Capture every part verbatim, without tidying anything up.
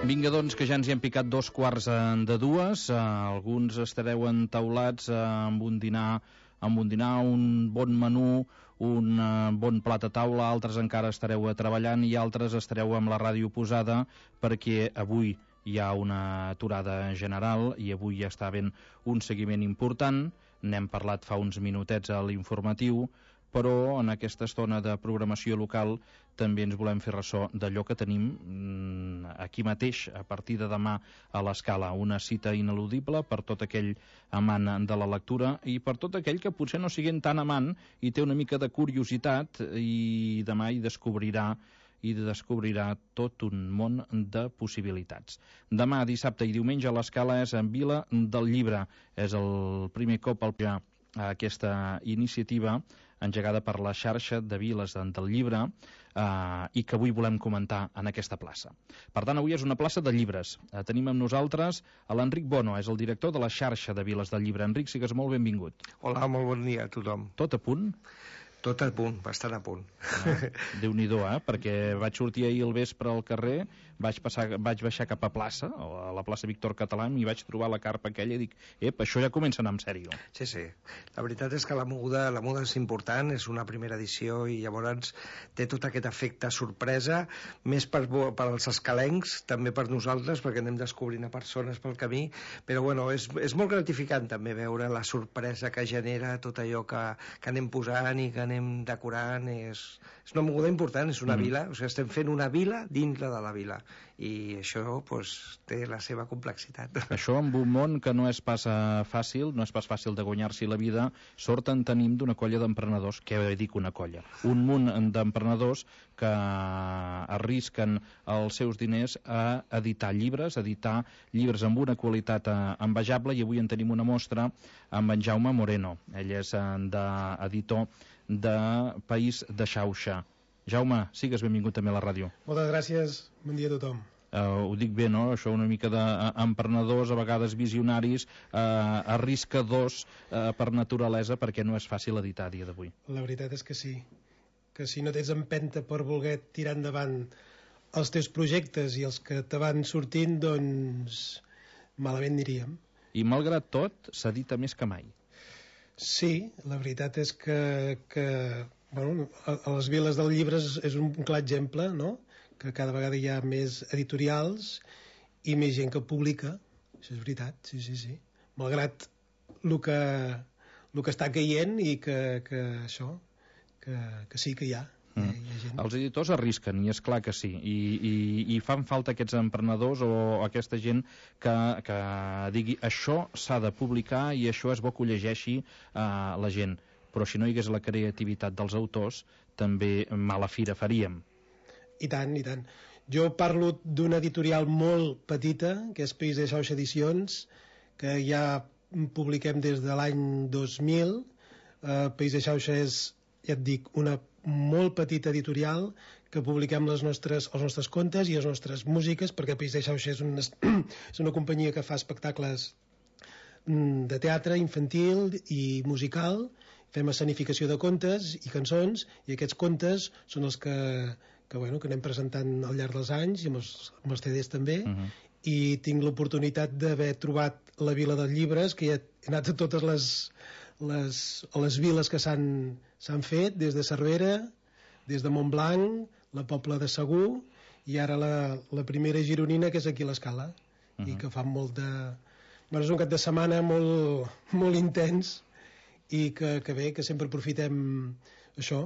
Vinga, doncs, que ja ens hi hem picat dos quarts de dues. Uh, alguns estareu entaulats uh, amb un dinar, amb un dinar, un bon menú, un uh, bon plat a taula, altres encara estareu treballant i altres estareu amb la ràdio posada perquè avui hi ha una aturada general i avui ja està havent un seguiment important. N'hem parlat fa uns minutets a l'informatiu, però en aquesta estona de programació local també ens volem fer ressò d'allò que tenim aquí mateix a partir de demà a l'Escala, una cita ineludible per tot aquell amant de la lectura i per tot aquell que potser no sigui tan amant i té una mica de curiositat i demà hi descobrirà i descobrirà tot un món de possibilitats. Demà, dissabte i diumenge a l'Escala és en Vila del Llibre. És el primer cop al a aquesta iniciativa engegada per la xarxa de Viles del Llibre eh, i que avui volem comentar en aquesta plaça. Per tant, avui és una plaça de llibres. Eh, tenim amb nosaltres a l'Enric Bono, és el director de la xarxa de Viles del Llibre. Enric, sigues molt benvingut. Hola, molt bon dia a tothom. Tot a punt? Tot a punt, bastant a punt. Ah, Déu-n'hi-do, eh? Perquè vaig sortir ahir al vespre al carrer, vaig, passar, vaig baixar cap a plaça, a la plaça Víctor Català, i vaig trobar la carpa aquella i dic, ep, això ja comença a anar en sèrio. Sí, sí. La veritat és que la moguda, la moguda és important, és una primera edició i llavors té tot aquest efecte sorpresa, més per, per als escalencs, també per nosaltres, perquè anem descobrint a persones pel camí, però bueno, és, és molt gratificant també veure la sorpresa que genera tot allò que, que anem posant i que anem decorant. És, és una moguda important, és una mm. vila, o sigui, estem fent una vila dintre de la vila i això pues, té la seva complexitat. Això amb un món que no és pas fàcil, no és pas fàcil de guanyar-s'hi la vida, sort en tenim d'una colla d'emprenedors, què dic una colla? Un munt d'emprenedors que arrisquen els seus diners a editar llibres, a editar llibres amb una qualitat envejable, i avui en tenim una mostra amb en Jaume Moreno. Ell és d'editor de País de Xauxa. Jaume, sigues benvingut també a la ràdio. Moltes gràcies, bon dia a tothom. Uh, ho dic bé, no? Això una mica d'emprenedors, a vegades visionaris, uh, arriscadors uh, per naturalesa, perquè no és fàcil editar a dia d'avui. La veritat és que sí, que si no tens empenta per voler tirar endavant els teus projectes i els que te van sortint, doncs malament aniríem. I malgrat tot, s'edita més que mai. Sí, la veritat és que, que bueno, a, a les Viles del Llibre és, és un clar exemple, no? Que cada vegada hi ha més editorials i més gent que publica. Això és veritat, sí, sí, sí. Malgrat el que, el que està caient i que, que això, que, que sí que hi ha. Mm. Hi ha gent. Els editors arrisquen, i és clar que sí, i, i, i fan falta aquests emprenedors o aquesta gent que, que digui això s'ha de publicar i això és bo que ho llegeixi uh, la gent, però si no hi hagués la creativitat dels autors també mala fira faríem. I tant, i tant. Jo parlo d'una editorial molt petita, que és País de Xauxa Edicions, que ja publiquem des de l'any dos mil. uh, País de Xauxa és, ja et dic, una molt petita editorial que publiquem les nostres, els nostres contes i les nostres músiques, perquè País de Xauxa és una, és una companyia que fa espectacles de teatre infantil i musical. Fem escenificació de contes i cançons, i aquests contes són els que, que, bueno, que anem presentant al llarg dels anys, i amb els, amb els C Ds també. Uh-huh. I tinc l'oportunitat d'haver trobat la Vila dels Llibres, que ja he anat a totes les, les, les viles que s'han fet, des de Cervera, des de Montblanc, la Pobla de Segur, i ara la, la primera gironina, que és aquí a l'Escala. Uh-huh. I que fa molt de... Bueno, és un cap de setmana molt, molt intens, i que, que bé, que sempre aprofitem això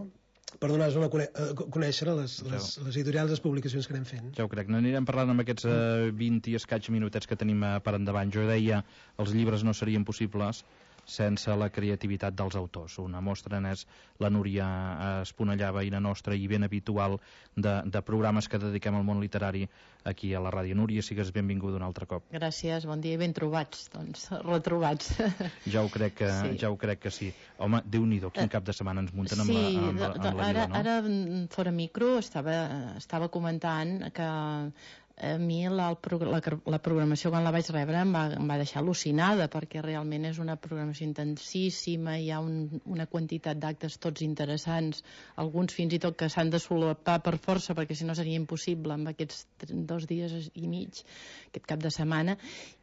per donar-nos a cone conèixer les, les, les editorials, les publicacions que anem fent. Ja ho crec. N'anirem parlant amb aquests uh, vint i escaig minutets que tenim uh, per endavant. Jo deia, els llibres no serien possibles sense la creativitat dels autors. Una mostra n'és la Núria Esponellà, veïna nostra i ben habitual de, de programes que dediquem al món literari aquí a la ràdio. Núria, sigues benvinguda un altre cop. Gràcies, bon dia i ben trobats, doncs, retrobats. Ja ho crec que sí. Ja ho crec que sí. Home, Déu-n'hi-do, quin cap de setmana ens munten amb, sí, la, amb, amb, amb la ara, vila, no? Ara, fora micro, estava, estava comentant que A mi la, la, la programació quan la vaig rebre em va, em va deixar al·lucinada, perquè realment és una programació intensíssima, hi ha un, una quantitat d'actes tots interessants, alguns fins i tot que s'han de solapar per força perquè si no seria impossible amb aquests dos dies i mig, aquest cap de setmana,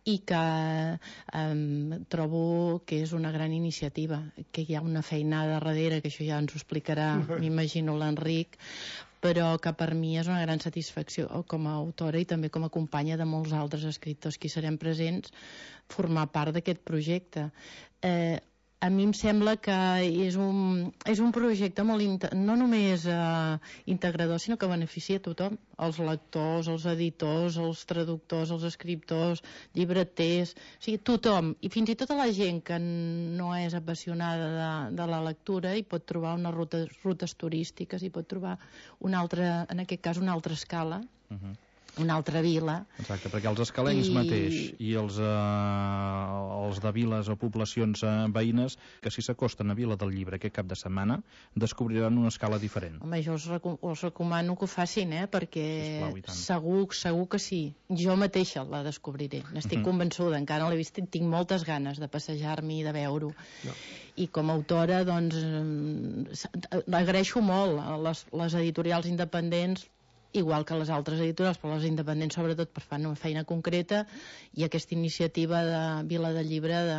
i que eh, trobo que és una gran iniciativa, que hi ha una feinada darrere, que això ja ens ho explicarà, m'imagino, l'Enric, però que per mi és una gran satisfacció com a autora i també com a companya de molts altres escriptors que hi serem presents, formar part d'aquest projecte. Eh, a mi em sembla que és un, és un projecte molt no només eh, integrador, sinó que beneficia a tothom, els lectors, els editors, els traductors, els escriptors, llibreters, o sigui, tothom, i fins i tot a la gent que no és apassionada de, de la lectura i pot trobar unes rutes, rutes turístiques, i pot trobar una altra, en aquest cas una altra escala, uh-huh. una altra vila. Exacte, perquè els escalencs I... mateix i els, eh, els de viles o poblacions eh, veïnes que si s'acosten a Vila del Llibre aquest cap de setmana descobriran una escala diferent. Home, jo us, recu us recomano que ho facin, eh, perquè Sisplau, segur, segur que sí. Jo mateixa la descobriré, n'estic uh-huh. convençuda, encara no l'he vist, tinc moltes ganes de passejar-m'hi i de veure-ho. No. I com a autora, doncs, agraeixo molt a les, les editorials independents, igual que les altres editorials, però les independents sobretot per fer una feina concreta, i aquesta iniciativa de Vila del Llibre de,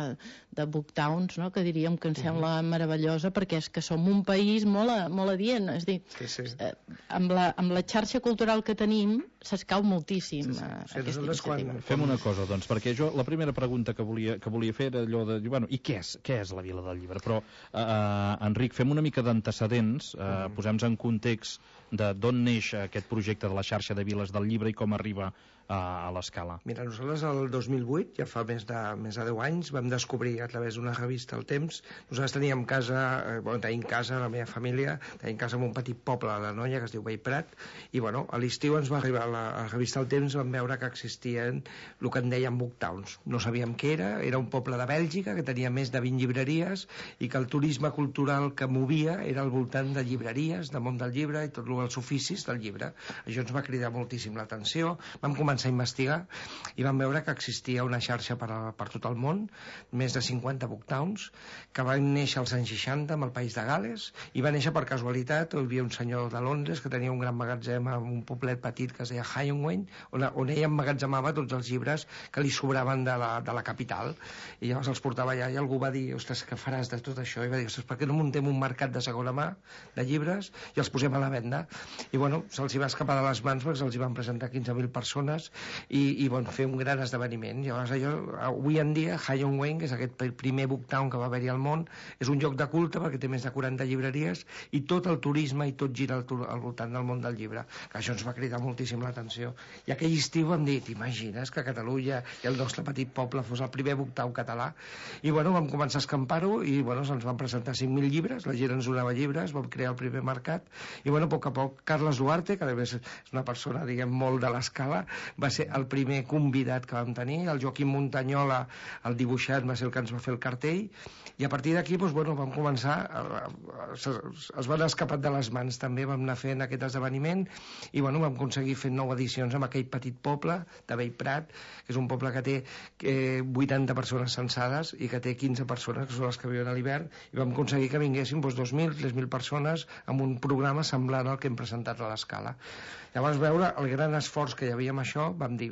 de Booktowns, no? Que diríem que em sembla meravellosa, perquè és que som un país molt, molt adient, és a dir, sí, sí. Eh, amb, la, amb la xarxa cultural que tenim s'escau moltíssim sí, sí. Eh, sí, aquesta iniciativa. Quan... Fem una cosa, doncs, perquè jo la primera pregunta que volia, que volia fer era allò de, bueno, i què és, què és la Vila del Llibre? Però, eh, Enric, fem una mica d'antecedents, eh, mm. posem-nos en context de d'on neix aquest projecte de la xarxa de Viles del Llibre i com arriba a, a l'escala. Mira, nosaltres el dos mil vuit, ja fa més de, més de deu anys, vam descobrir a través d'una revista El Temps. Nosaltres teníem casa, eh, bueno, tenim casa, la meva família, tenim casa en un petit poble a la Noia que es diu Bellprat, i bueno, a l'estiu ens va arribar a la, a la revista El Temps, vam veure que existien el que en deien Booktowns. No sabíem què era, era un poble de Bèlgica que tenia més de vint llibreries i que el turisme cultural que movia era al voltant de llibreries, de món del llibre i tot els oficis del llibre. Això ens va cridar moltíssim l'atenció. Vam començar a investigar i vam veure que existia una xarxa per, a, per tot el món, més de cinquanta Booktowns, que van néixer als anys seixanta amb el país de Gales, i va néixer per casualitat. Hi havia un senyor de Londres que tenia un gran magatzem en un poblet petit que es deia Highwayn, on, on ell emmagatzemava tots els llibres que li sobraven de la, de la capital, i llavors els portava allà, i algú va dir, ostres, què faràs de tot això? I va dir, ostres, per què no muntem un mercat de segona mà de llibres i els posem a la venda? I bueno, se'ls hi va escapar de les mans perquè se'ls hi van presentar quinze mil persones i, i bueno, fer un gran esdeveniment. Llavors allò, avui en dia, Highwayn, que és aquest primer Booktown que va haver-hi al món, és un lloc de culte perquè té més de quaranta llibreries i tot el turisme i tot gira al, al voltant del món del llibre, que això ens va cridar moltíssim l'atenció. I aquell estiu vam dir, t'imagines que a Catalunya i el nostre petit poble fos el primer Booktown català? I bueno, vam començar a escampar-ho i bueno, se'ns van presentar cinc mil llibres, la gent ens donava llibres, vam crear el primer mercat i bueno, a poc a poc Carles Duarte, que a més és una persona, diguem, molt de l'escala, va ser el primer convidat que vam tenir. El Joaquim Montanyola, el dibuixant, va ser el que ens va fer el cartell, i a partir d'aquí doncs, bueno, vam començar a, a, a, es van escapar de les mans també, vam anar fent aquest esdeveniment i bueno, vam aconseguir fer nou edicions amb aquell petit poble de Bellprat, que és un poble que té eh, vuitanta persones censades i que té quinze persones que són les que viuen a l'hivern, i vam aconseguir que vinguessin doncs, dos mil, tres mil persones amb un programa semblant al que hem presentat a l'escala. Llavors, veure el gran esforç que hi havia amb això, vam dir,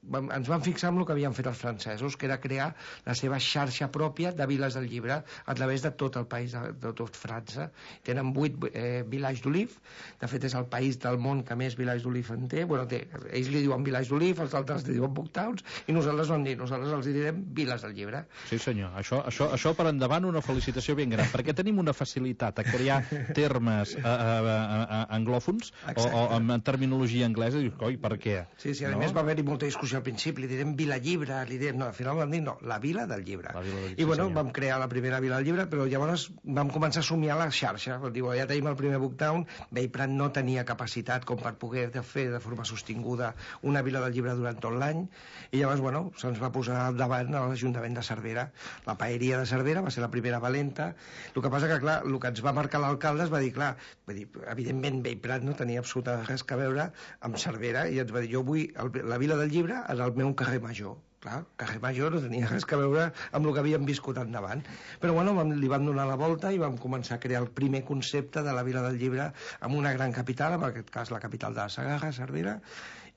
vam, ens vam fixar en el que havien fet els francesos, que era crear la seva xarxa pròpia de viles del llibre a través de tot el país, de, de tot França. Tenen vuit eh, villages d'oliv, de fet és el país del món que més villages d'oliv en té. Bueno, té, ells li diuen villages d'oliv, els altres li diuen Booktowns, i nosaltres vam dir, nosaltres els direm viles del llibre. Sí senyor, això, això, això per endavant una felicitació ben gran, perquè tenim una facilitat a crear termes a, a, a, a anglòfons o, o amb terminologia anglesa, i dius, coi, per què? Sí, sí, a no? més va haver-hi molta discussió al principi, li direm Vila Llibre, li direm, no, al final vam dir no, la Vila del Llibre. Vila del... I bueno, sí, vam crear la primera Vila del Llibre, però llavors vam començar a somiar la xarxa, diu, ja tenim el primer Booktown, Bellprat no tenia capacitat com per poder fer de forma sostinguda una Vila del Llibre durant tot l'any, i llavors, bueno, se'ns va posar al davant a l'Ajuntament de Cervera. La paeria de Cervera va ser la primera valenta. El que passa que, clar, el que ens va marcar l'alcalde es va dir, clar, va dir, evidentment Bellprat no tenia absolutament res que veure amb Cervera, i ens va dir, jo vull el, la Vila del Llibre en el meu carrer Major. Clar, carrer Major no tenia res que veure amb el que havíem viscut endavant. Però bueno, vam, li vam donar la volta i vam començar a crear el primer concepte de la Vila del Llibre amb una gran capital, en aquest cas la capital de la Segarra, Cervera,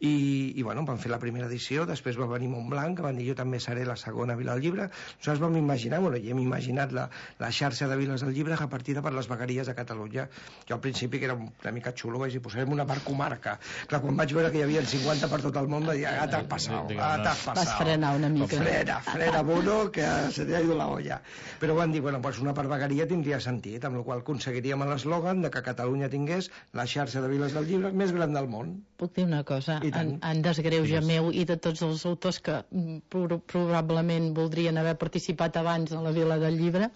i, i bueno, vam fer la primera edició, després va venir Montblanc, que van dir jo també seré la segona Vila del Llibre. Nosaltres vam imaginar, bueno, i hem imaginat la, la xarxa de Viles del Llibre repartida per les vegueries de Catalunya. Jo al principi, que era una mica xulo, vaig dir, posarem una per comarca. Clar, quan vaig veure que hi havia cinquanta per tot el món, vaig dir, ah, t'has passat, ah, t'has passat. Vas frenar una mica. Frena, frena, mono, que se t'ha ido la olla. Però van dir, bueno, pues una per vegueria tindria sentit, amb la qual aconseguiríem l'eslògan de que Catalunya tingués la xarxa de Viles del Llibre més gran del món. Puc dir una cosa? En, en desgreuja yes. meu i de tots els autors que pro probablement voldrien haver participat abans a la Vila del Llibre,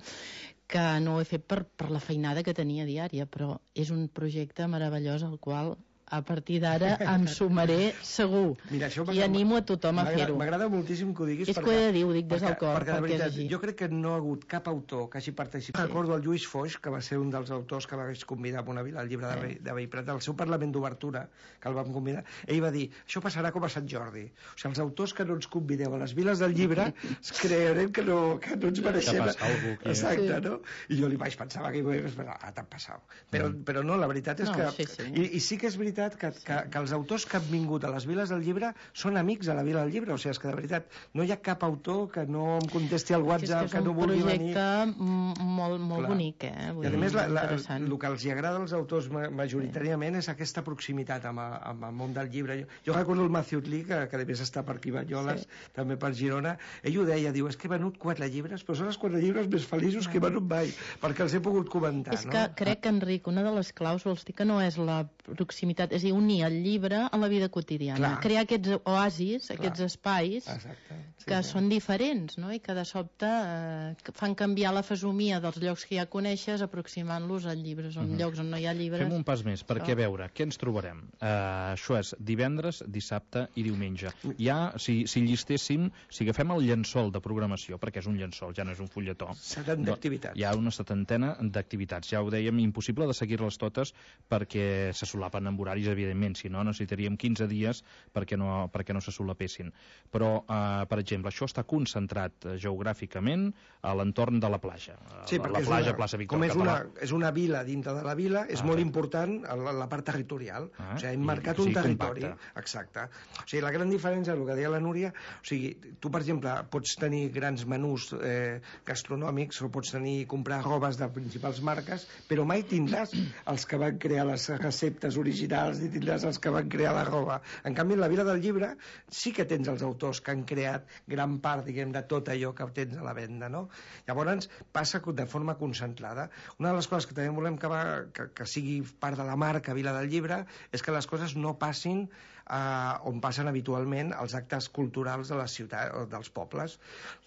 que no ho he fet per, per la feinada que tenia diària, però és un projecte meravellós al qual a partir d'ara em sumaré segur. Mira, i animo a tothom a fer-ho. M'agrada moltíssim que ho diguis. És perquè, que ho he de dir, ho dic des perquè, del cor. Perquè, perquè de veritat, jo crec que no ha hagut cap autor que hagi participat. Sí. Recordo el Lluís Foix, que va ser un dels autors que vaig convidar a una Vila al Llibre sí. de Bellprat, al seu Parlament d'Obertura, que el vam convidar. Ell va dir, això passarà com a Sant Jordi. O sigui, els autors que no ens convideu a les Viles del Llibre es crearem que no, que no ens mereixem. Que passa algú aquí. Exacte, sí. no? I jo li vaig pensar que ah, t'ha passat. Però, mm. però no, la veritat és no, que... Sí, sí. I, I sí que és veritat que, que, que els autors que han vingut a les Viles del Llibre són amics a la Vila del Llibre, o sigui, és que de veritat no hi ha cap autor que no em contesti al WhatsApp, que, que no vulgui venir. És un projecte molt, molt Clar. bonic, eh? Vull I a més, la, la, interessant. el que els agrada als autors majoritàriament és aquesta proximitat amb, amb el món del llibre. Jo, jo recordo el Matthew Lee, que, que a més està per aquí Banyoles, sí. també per Girona, ell ho deia, diu, és que he venut quatre llibres, però són els quatre llibres més feliços no. que he venut mai, perquè els he pogut comentar. És que no? crec, Enric, una de les claus vols dir que no és la proximitat, és a dir, unir el llibre a la vida quotidiana. Clar. Crear aquests oasis, Clar. aquests espais Exacte. Sí, que sí. són diferents, no? I que de sobte eh, fan canviar la fesomia dels llocs que ja coneixes aproximant-los a llibres, on mm-hmm. llocs on no hi ha llibres. Fem un pas més, perquè a veure, què ens trobarem? Uh, això és divendres, dissabte i diumenge. Ja, si, si llistéssim, si agafem el llençol de programació, perquè és un llençol, ja no és un fulletó. setanta activitats. Hi ha una setantena d'activitats. Ja ho dèiem, impossible de seguir-les totes perquè se solapen amb horaris, evidentment, si no necessitaríem quinze dies perquè no, perquè no se solapessin. Però, eh, per exemple, això està concentrat geogràficament a l'entorn de la platja. Sí, la, la platja, una, plaça Víctor com és Català. Una, és una vila dintre de la vila, és ah, molt sí. important la, la part territorial. Ah, o sigui, hem marcat un territori. Compacte. Exacte. O sigui, la gran diferència, el que deia la Núria, o sigui, tu, per exemple, pots tenir grans menús eh, gastronòmics o pots tenir comprar robes de principals marques, però mai tindràs els que van crear les receptes originals ni tindràs els que van crear la roba. En canvi, en la Vila del Llibre sí que tens els autors que han creat gran part, diguem, de tot allò que tens a la venda, no? Llavors, passa de forma concentrada. Una de les coses que també volem que, va, que, que sigui part de la marca Vila del Llibre és que les coses no passin Uh, on passen habitualment els actes culturals de la ciutat o dels pobles,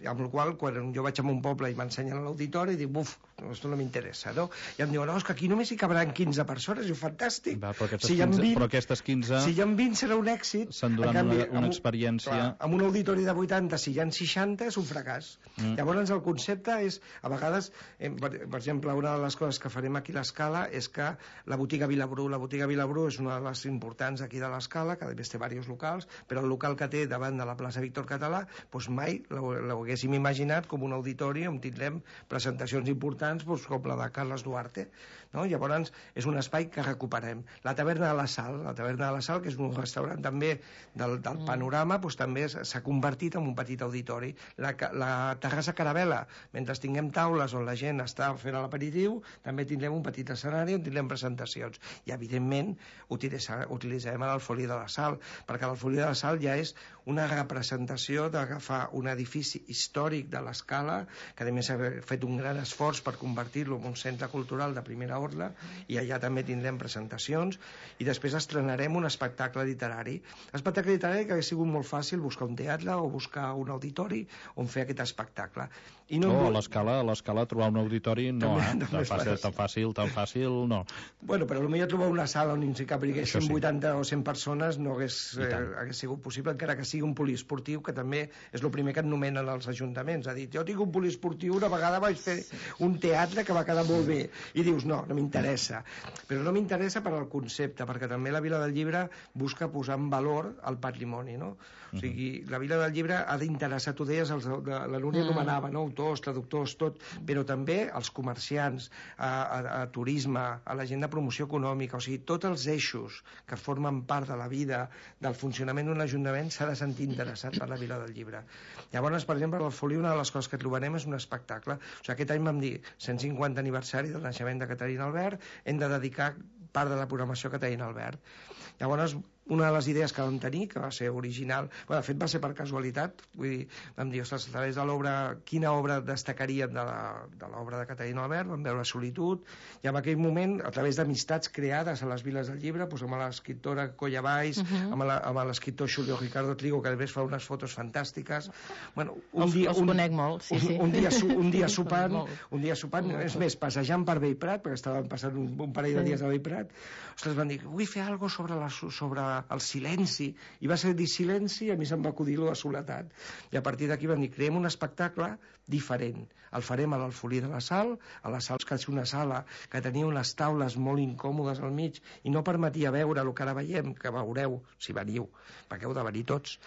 amb la qual quan jo vaig a un poble i m'ensenyen a l'auditori i dic, buf, això no m'interessa, no? I em diuen, no, és que aquí només hi cabran quinze persones, i ho fantàstic. Va, però, aquestes si quinze, vint, però aquestes quinze... Si hi ha vint serà un èxit. S'enduran una, una amb, experiència... Clar, amb un auditori de vuitanta, si hi ha seixanta, és un fracàs. Mm. Llavors el concepte és, a vegades, eh, per, per exemple, una de les coses que farem aquí a l'Escala és que la botiga Vilabrú, la botiga Vilabrú és una de les importants aquí de l'Escala, que a més té diversos locals, però el local que té davant de la plaça Víctor Català, doncs mai l'haguéssim imaginat com un auditori on tindrem presentacions importants doncs, com la de Carles Duarte, no? Llavors és un espai que recuperem. La taverna de la Sal, la taverna de la Sal, que és un restaurant també del, del panorama, doncs també s'ha convertit en un petit auditori. La, la terrassa Caravela, mentre tinguem taules on la gent està fent l'aperitiu, també tindrem un petit escenari on tindrem presentacions. I evidentment utilitzarem el Folí de la Sal, perquè l'Alfolí de la Sal ja és una representació d'agafar un edifici històric de l'Escala, que a més ha fet un gran esforç per convertir-lo en un centre cultural de primera ordre, i allà també tindrem presentacions, i després estrenarem un espectacle literari. L'espectacle literari que ha sigut molt fàcil buscar un teatre o buscar un auditori on fer aquest espectacle. I no, no a l'Escala, a l'Escala trobar un auditori no, també, eh? Tan, fàcil, tan fàcil, tan fàcil, no. Bueno, però potser trobar una sala on hi cabriguessin sí. vuitanta o cent persones no hagués, eh, hagués sigut possible, encara que sigui un poliesportiu, que també és el primer que et nomenen els ajuntaments. Ha dit, jo tinc un poliesportiu, una vegada vaig fer un teatre que va quedar molt bé, i dius, no, no m'interessa. Però no m'interessa per al concepte, perquè també la Vila del Llibre busca posar en valor el patrimoni, no? O sigui, la Vila del Llibre ha d'interessar, tu deies, els, la Núria anomenava, no? Autors, traductors, tot, però també els comerciants, a, a, a turisme, a la gent de promoció econòmica, o sigui, tots els eixos que formen part de la vida, del funcionament d'un ajuntament, s'ha de sentir interessat per la Vila del Llibre. Llavors, per exemple, al Folí una de les coses que trobarem és un espectacle. O sigui, aquest any vam dir cent cinquanta aniversari del naixement de Caterina Albert, hem de dedicar part de la programació a Caterina Albert. Llavors, una de les idees que vam tenir, que va ser original, bueno, de fet va ser per casualitat, vull dir, vam dir, ostres, a través de l'obra, quina obra destacaríem de l'obra de Caterina Albert, vam veure Solitud, i en aquell moment, a través d'amistats creades a les viles del llibre, doncs amb l'escriptora Colla Valls, uh -huh. amb l'escriptor Julio Ricardo Trigo, que després fa unes fotos fantàstiques. Bueno, un els, dia, els un, conec molt, sí, un, sí. Un dia, un dia sopant, un dia sopant, és més, passejant per Bellprat, perquè estàvem passant un, un parell de dies a Bellprat, ostres, van dir, vull fer alguna cosa sobre, la, sobre el silenci, i va ser dir silenci, i a mi se'm va acudir la soledat, i a partir d'aquí van dir, creem un espectacle diferent, el farem a l'Alfolí de la Sal, a la Sal, que és una sala que tenia unes taules molt incòmodes al mig i no permetia veure el que ara veiem, que veureu si veniu, perquè heu de venir tots,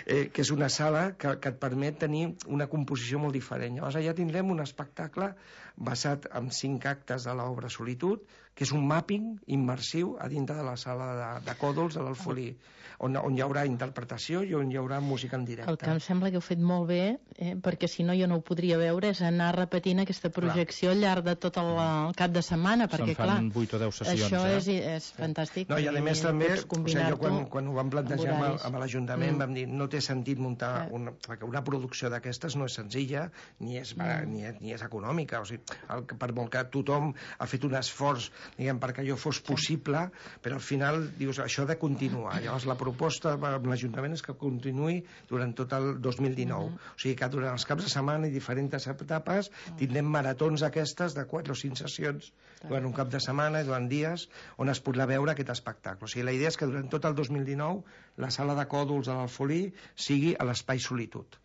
eh, que és una sala que, que et permet tenir una composició molt diferent. Llavors allà tindrem un espectacle basat en cinc actes de l'obra Solitud, que és un mapping immersiu a dintre de la sala de, de Còdols de l'Alfolí, on, on hi haurà interpretació i on hi haurà música en directe. El que em sembla que heu fet molt bé, eh, perquè si no jo no ho podria veure, és anar repetint aquesta projecció clar. Al llarg de tot el, el cap de setmana, perquè clar, se'n fan vuit o deu sessions, això eh? és, és fantàstic. No, i a més també, o sigui, jo quan, quan ho vam plantejar amb, amb l'Ajuntament mm. vam dir, no té sentit muntar una, perquè una producció d'aquestes no és senzilla ni és, mm. ni, és, ni és econòmica, o sigui, el, per molt que tothom ha fet un esforç, diguem, perquè allò fos possible, però al final dius, això ha de continuar. Llavors la proposta amb l'Ajuntament és que continuï durant tot el dos mil dinou. Mm-hmm. O sigui que durant els caps de setmana i diferents etapes tindrem maratons aquestes de quatre o cinc sessions durant un cap de setmana i durant dies on es podrà veure aquest espectacle. O sigui, la idea és que durant tot el dos mil dinou la sala de Còdols de l'Alfolí sigui a l'Espai Solitud.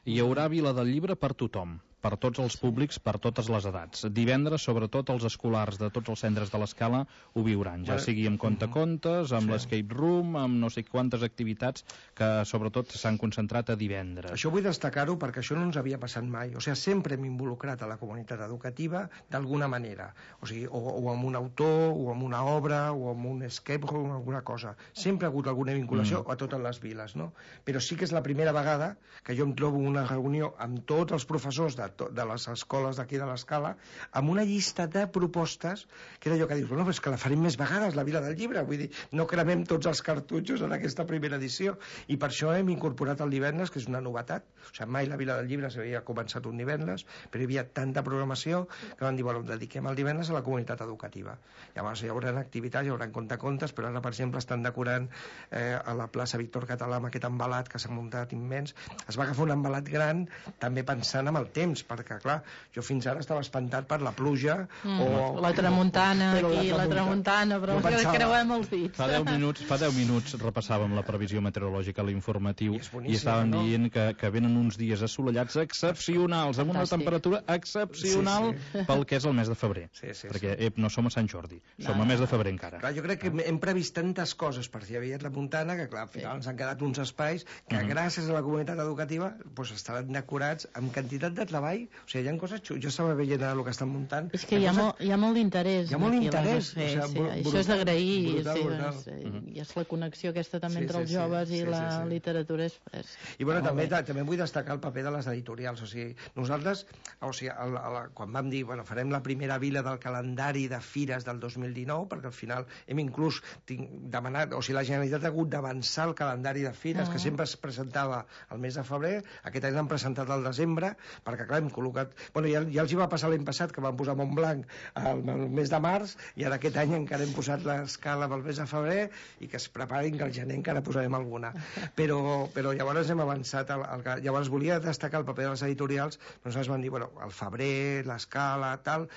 Hi haurà Vila del Llibre per tothom, per tots els públics, per totes les edats. Divendres, sobretot, els escolars de tots els centres de l'Escala ho viuran, ja sigui amb contacontes, amb sí. l'escape room, amb no sé quantes activitats que, sobretot, s'han concentrat a divendres. Això vull destacar-ho perquè això no ens havia passat mai. O sigui, sempre hem involucrat a la comunitat educativa d'alguna manera. O sigui, o, o amb un autor, o amb una obra, o amb un escape room, alguna cosa. Sempre ha hagut alguna vinculació mm. a totes les viles, no? Però sí que és la primera vegada que jo em trobo una reunió amb tots els professors de de les escoles d'aquí de l'Escala, amb una llista de propostes que era allò que dius, bueno, és que la farem més vegades, la Vila del Llibre, vull dir, no cremem tots els cartutxos en aquesta primera edició, i per això hem incorporat el divendres, que és una novetat. O sigui, mai la Vila del Llibre s'havia començat un divendres, però hi havia tanta programació que van dir, bueno, dediquem el divendres a la comunitat educativa. Llavors hi haurà activitats, hi haurà contacontes, però ara, per exemple, estan decorant eh, a la plaça Víctor Català amb aquest embalat que s'ha muntat immens. Es va agafar un embalat gran, també pensant en el temps, perquè, clar, jo fins ara estava espantat per la pluja mm. o... La tramuntana, aquí, la tramuntana, però no pensava... creuem els dits. Fa deu minuts, fa deu minuts repassàvem la previsió meteorològica a l'informatiu i, i estàvem no? dient que, que venen uns dies assolellats excepcionals, amb una temperatura excepcional sí, sí. pel que és el mes de febrer. Sí, sí, perquè sí. Ep, no som a Sant Jordi, no, som a mes de febrer encara. Clar, jo crec que hem previst tantes coses per si hi havia tramuntana que, clar, al final sí. ens han quedat uns espais que, uh-huh. gràcies a la comunitat educativa, pues, estaran decorats amb quantitat de treball. O sigui, hi ha coses xules. Jo estava veient el que estan muntant. És que hi ha, coses... molt, hi ha molt d'interès. Hi ha molt d'interès. Sí, o sigui, sí, brutal, això és d'agrair. Sí, doncs, uh-huh. I és la connexió aquesta també sí, entre els sí, joves sí, i sí, la sí, sí. literatura. És, és... I bueno, també, també vull destacar el paper de les editorials. O sigui, nosaltres, o sigui, el, el, quan vam dir, bueno, farem la primera vila del calendari de fires del dos mil dinou, perquè al final hem inclús tinc, demanat, o sigui, la Generalitat ha hagut d'avançar el calendari de fires, uh-huh. que sempre es presentava al mes de febrer, aquest any l'han presentat al desembre, perquè clar, hem col·locat... Bueno, ja, ja els hi va passar l'any passat, que van posar Montblanc al, al mes de març, i ara aquest any encara hem posat l'Escala pel mes de febrer, i que es preparin que al gener encara posarem alguna. Però, però llavors hem avançat. El, el, llavors volia destacar el paper de les editorials, nosaltres vam dir, bueno, al febrer, l'Escala, tal...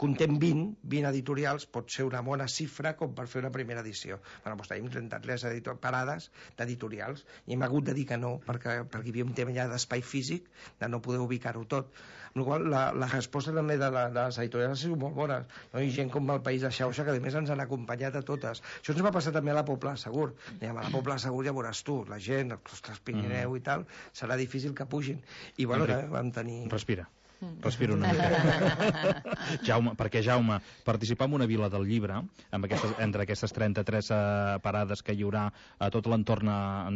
contem vint, vint editorials, pot ser una bona xifra com per fer una primera edició. Bueno, doncs tenim trenta-tres parades d'editorials i hem hagut de dir que no, perquè, perquè hi havia un tema ja d'espai físic, de no poder ubicar-ho tot. Amb la qual la, la resposta també de, la, de les editorials ha sigut molt bona. No? Hi ha gent com el País de Xauxa que a més ens han acompanyat a totes. Això ens va passar també a la Pobla Segur. Dèiem, a la Pobla Segur ja veuràs tu, la gent, els Pirineu i tal, serà difícil que pugin. I bueno, eh, vam tenir... Respira. Respiro una mica. Jaume, perquè Jaume, participar en una vila del llibre, amb aquestes, entre aquestes trenta-tres uh, parades que hi haurà a tot l'entorn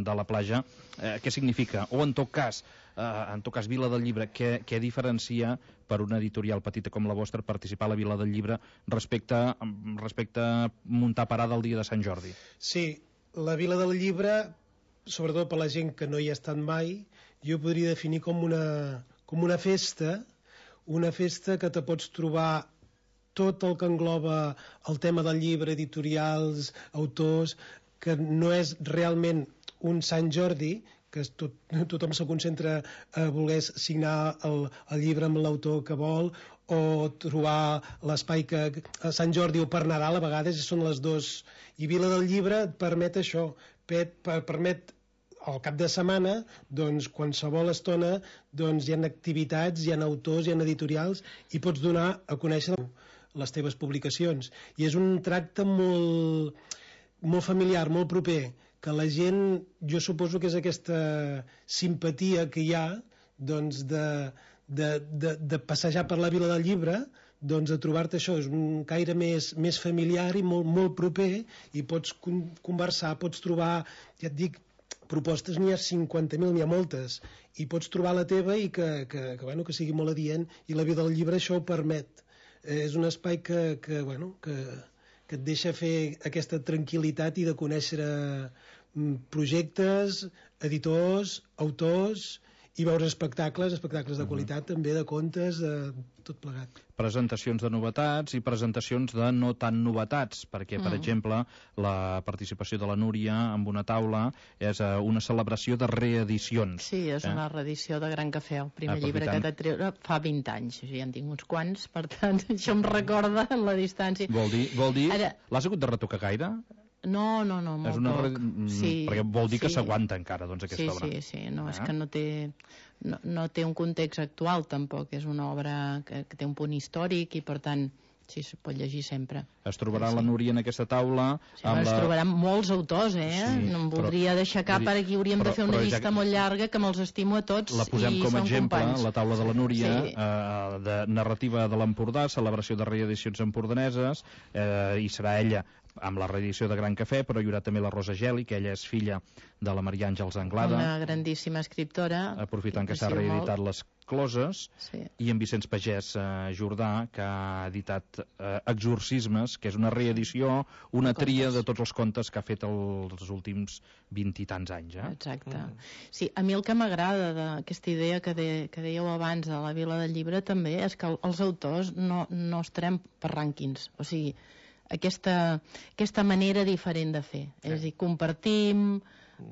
de la platja, eh, què significa? O en tot cas, uh, en tot cas Vila del Llibre, què, què diferencia per una editorial petita com la vostra participar a la Vila del Llibre respecte, respecte a muntar parada el dia de Sant Jordi? Sí, la Vila del Llibre, sobretot per la gent que no hi ha estat mai, jo podria definir com una, com una festa, una festa que te pots trobar tot el que engloba el tema del llibre, editorials, autors, que no és realment un Sant Jordi, que tot, tothom se concentra a voler signar el, el llibre amb l'autor que vol, o trobar l'espai que a Sant Jordi o per Nadal a vegades són les dos. I Vila del Llibre et permet això, per, per, permet al cap de setmana, doncs, qualsevol estona, doncs, hi ha activitats, hi ha autors, hi ha editorials, i pots donar a conèixer les teves publicacions. I és un tracte molt, molt familiar, molt proper, que la gent, jo suposo que és aquesta simpatia que hi ha, doncs, de, de, de, de passejar per la Vila del Llibre, doncs a trobar-te això, és un caire més, més familiar i molt, molt proper, i pots conversar, pots trobar, ja et dic, propostes n'hi ha cinquanta mil, n'hi ha moltes, i pots trobar la teva i que, que, que, bueno, que sigui molt adient, i la Vila del Llibre això ho permet. Eh, és un espai que, que, bueno, que, que et deixa fer aquesta tranquil·litat i de conèixer projectes, editors, autors, i veure espectacles, espectacles de qualitat, uh-huh. també de contes, de tot plegat. Presentacions de novetats i presentacions de no tan novetats, perquè, per mm. exemple, la participació de la Núria amb una taula és uh, una celebració de reedicions. Sí, és eh? una reedició de Gran Cafè, el primer Aprofitant. llibre que t'ha treure fa vint anys, o sigui, ja en tinc uns quants, per tant, això em recorda en la distància. Vol dir, vol dir Ara... l'has hagut de retocar gaire? No, no, no, molt poc. Re... Sí, perquè vol dir sí. que s'aguanta encara, doncs, aquesta sí, obra. Sí, sí, no, ah. és que no té, no, no té un context actual, tampoc. És una obra que, que té un punt històric i, per tant, sí, es pot llegir sempre. Es trobarà sí, la Núria en aquesta taula. Sí, amb es la... trobaran molts autors, eh? Sí, no em voldria però, deixar cap, ara aquí hauríem però, de fer una llista ja... molt llarga, que me'ls estimo a tots. La posem i com a exemple, companys. La taula de la Núria, sí. eh, de narrativa de l'Empordà, celebració de reedicions empordaneses, eh, i serà ella amb la reedició de Gran Cafè, però hi haurà també la Rosa Geli, que ella és filla de la Maria Àngels Anglada. Una grandíssima escriptora. Aprofitant que s'ha reeditat molt. Les closes, sí. i en Vicenç Pagès eh, Jordà, que ha editat eh, Exorcismes, que és una reedició, una contes. Tria de tots els contes que ha fet el, els últims vint i tants anys. Eh? Exacte. Mm. Sí, a mi el que m'agrada d'aquesta idea que, de, que dèieu abans de la Vila del Llibre també és que els autors no, no estarem per rànquings, o sigui, aquesta, aquesta manera diferent de fer. Sí. És a dir, compartim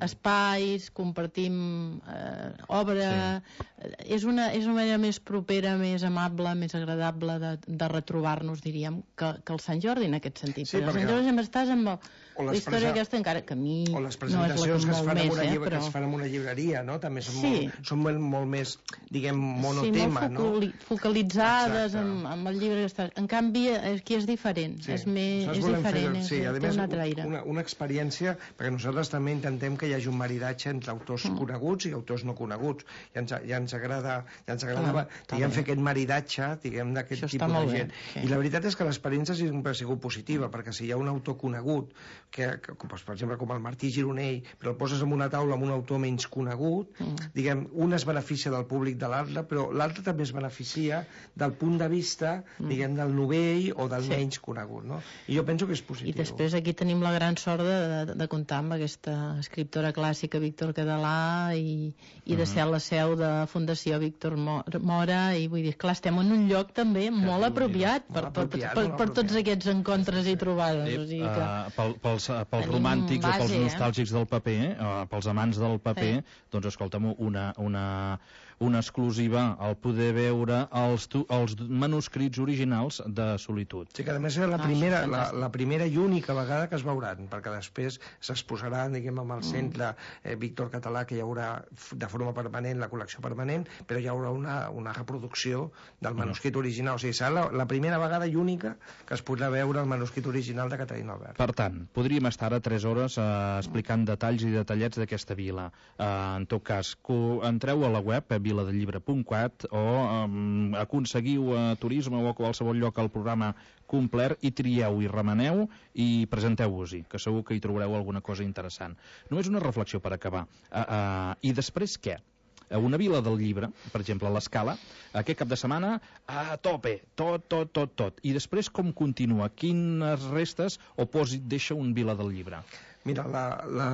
espais, compartim eh, obra, sí. és, una, és una manera més propera, més amable, més agradable de, de retrobar-nos, diríem, que, que el Sant Jordi en aquest sentit. Sí, perquè el Sant Jordi sempre estàs amb el, la història presa... aquesta, encara que a mi o les presentacions no és que, es fan més, una eh, llibre, però... que es fan en una llibreria, no? També són, sí. molt, són molt, molt més, diguem, monotema, sí, molt no? focalitzades amb, amb el llibre que estàs. En canvi, aquí és diferent, sí. és, més, és diferent, fer, sí, és, té més, un altre aire. Una, una experiència, perquè nosaltres també intentem que hi hagi un maridatge entre autors mm. coneguts i autors no coneguts. Ja ens, ja ens agrada, ja ens agradava, ah, diguem, fer aquest maridatge, diguem, d'aquest tipus de gent. Bé, sí. I la veritat és que l'experiència sempre ha sigut positiva, perquè si hi ha un autor conegut, que, que per exemple, com el Martí Gironell, però el poses en una taula amb un autor menys conegut, mm. diguem, un es beneficia del públic de l'altre, però l'altre també es beneficia del punt de vista, mm. diguem, del novell o del sí. menys conegut, no? I jo penso que és positiu. I després aquí tenim la gran sort de, de, de comptar amb aquesta escriptora clàssica Víctor Cadalà i, i de ser la seu de Fundació Víctor Mora, i vull dir, clar, estem en un lloc també que molt apropiat per, per, per, per, per tots aquests encontres i trobades. Sí. O sigui que uh, pel, pels, pels romàntics base, o pels nostàlgics eh? del paper, uh, pels amants del paper, sí. doncs escolta'm, una, una, una exclusiva al poder veure els, els manuscrits originals de Solitud. Sí, que a més és la primera, la, la primera i única vegada que es veuran, perquè després s'exposaran, diguem, amb el centre eh, Víctor Català, que hi haurà de forma permanent la col·lecció permanent, però hi haurà una, una reproducció del manuscrit original. O sigui, serà la, la primera vegada i única que es podrà veure el manuscrit original de Caterina Albert. Per tant, podríem estar a tres hores eh, explicant detalls i detallets d'aquesta vila. Eh, en tot cas, entreu a la web, eh, viladelllibre punt cat, o eh, aconseguiu a Turisme o a qualsevol lloc al programa complet i trieu i remeneu i presenteu-vos-hi, que segur que hi trobareu alguna cosa interessant. Només una reflexió per acabar. Uh, uh, I després què? Una vila del llibre, per exemple, a l'Escala, aquest cap de setmana, a tope, tot, tot, tot, tot. I després com continua? Quines restes o pòsit deixa un vila del llibre? Mira, la... la...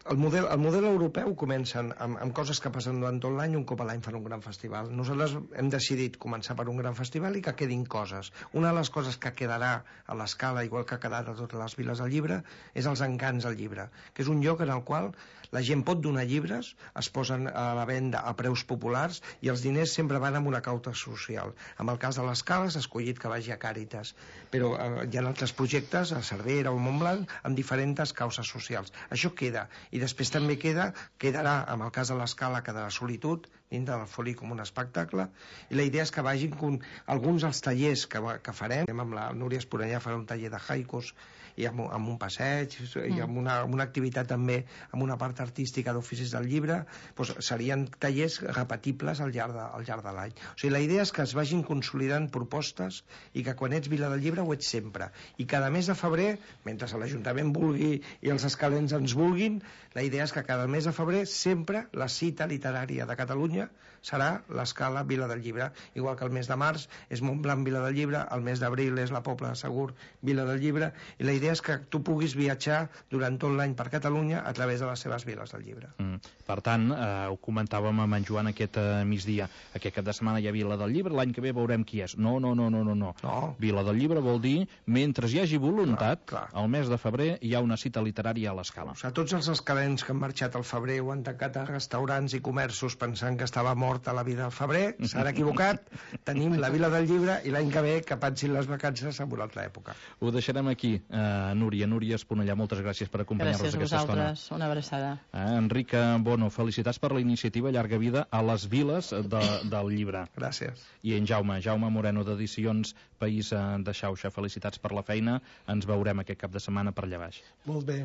El model, el model europeu comença amb, amb coses que passen durant tot l'any, un cop a l'any fan un gran festival. Nosaltres hem decidit començar per un gran festival i que quedin coses. Una de les coses que quedarà a l'Escala, igual que ha quedat a totes les viles del llibre, és els encants al llibre, que és un lloc en el qual la gent pot donar llibres, es posen a la venda a preus populars i els diners sempre van amb una causa social. En el cas de l'Escala s'ha escollit que vagi a Càritas, però eh, hi ha altres projectes, a Cervera o Montblanc, amb diferents causes socials. Això queda. I després també queda, quedarà, en el cas de l'Escala, quedarà Solitud, dintre del foli com un espectacle, i la idea és que vagin com alguns dels tallers que, que farem. Amb la Núria Esponellà farà un taller de haikus, i amb, amb un passeig, i amb una, amb una activitat també, amb una part artística d'oficis del llibre, doncs serien tallers repetibles al llarg de, al llarg de l'any. O sigui, la idea és que es vagin consolidant propostes i que quan ets vila del llibre ho ets sempre. I cada mes de febrer, mentre l'Ajuntament vulgui i els escalents ens vulguin, la idea és que cada mes de febrer sempre la cita literària de Catalunya serà l'Escala Vila del Llibre, igual que el mes de març és Montblanc Vila del Llibre, el mes d'abril és la Pobla de Segur Vila del Llibre, i la idea és que tu puguis viatjar durant tot l'any per Catalunya a través de les seves viles del llibre. Mm. Per tant, eh, ho comentàvem amb en Joan aquest eh, migdia, aquest cap de setmana hi ha Vila del Llibre, l'any que ve veurem qui és. No, no, no, no, no, no. no. Vila del Llibre vol dir, mentre hi hagi voluntat, clar, clar. al mes de febrer hi ha una cita literària a l'Escala. O sigui, tots els escalents que han marxat al febrer o han tancat a restaurants i comerços pensant que estava mort a la vida al febrer, s'han equivocat, tenim la Vila del Llibre i l'any que ve que pensin les vacances en una altra època. Ho deixarem aquí, eh, Núria, Núria Esponellà, moltes gràcies per acompanyar-nos aquesta estona. Gràcies a vosaltres, una abraçada. Eh, Enric Bono, felicitats per la iniciativa Llarga Vida a les viles de, del llibre. Gràcies. I en Jaume, Jaume Moreno d'Edicions País de Xauxa, felicitats per la feina, ens veurem aquest cap de setmana per allà baix. Molt bé,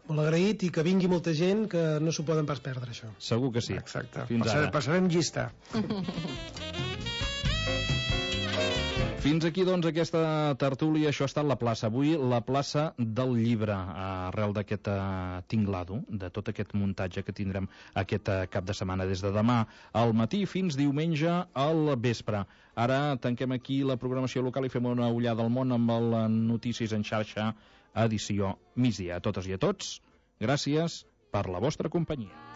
molt agraït i que vingui molta gent que no s'ho poden pas perdre, això. Segur que sí. Exacte. Fins Passarem, ara. Passarem llista. Fins aquí, doncs, aquesta tertúlia. Això ha estat la plaça. Avui, la plaça del llibre, arrel d'aquest uh, tinglado, de tot aquest muntatge que tindrem aquest uh, cap de setmana, des de demà al matí fins diumenge al vespre. Ara tanquem aquí la programació local i fem una ullada al món amb el Notícies en xarxa, edició migdia. A totes i a tots, gràcies per la vostra companyia.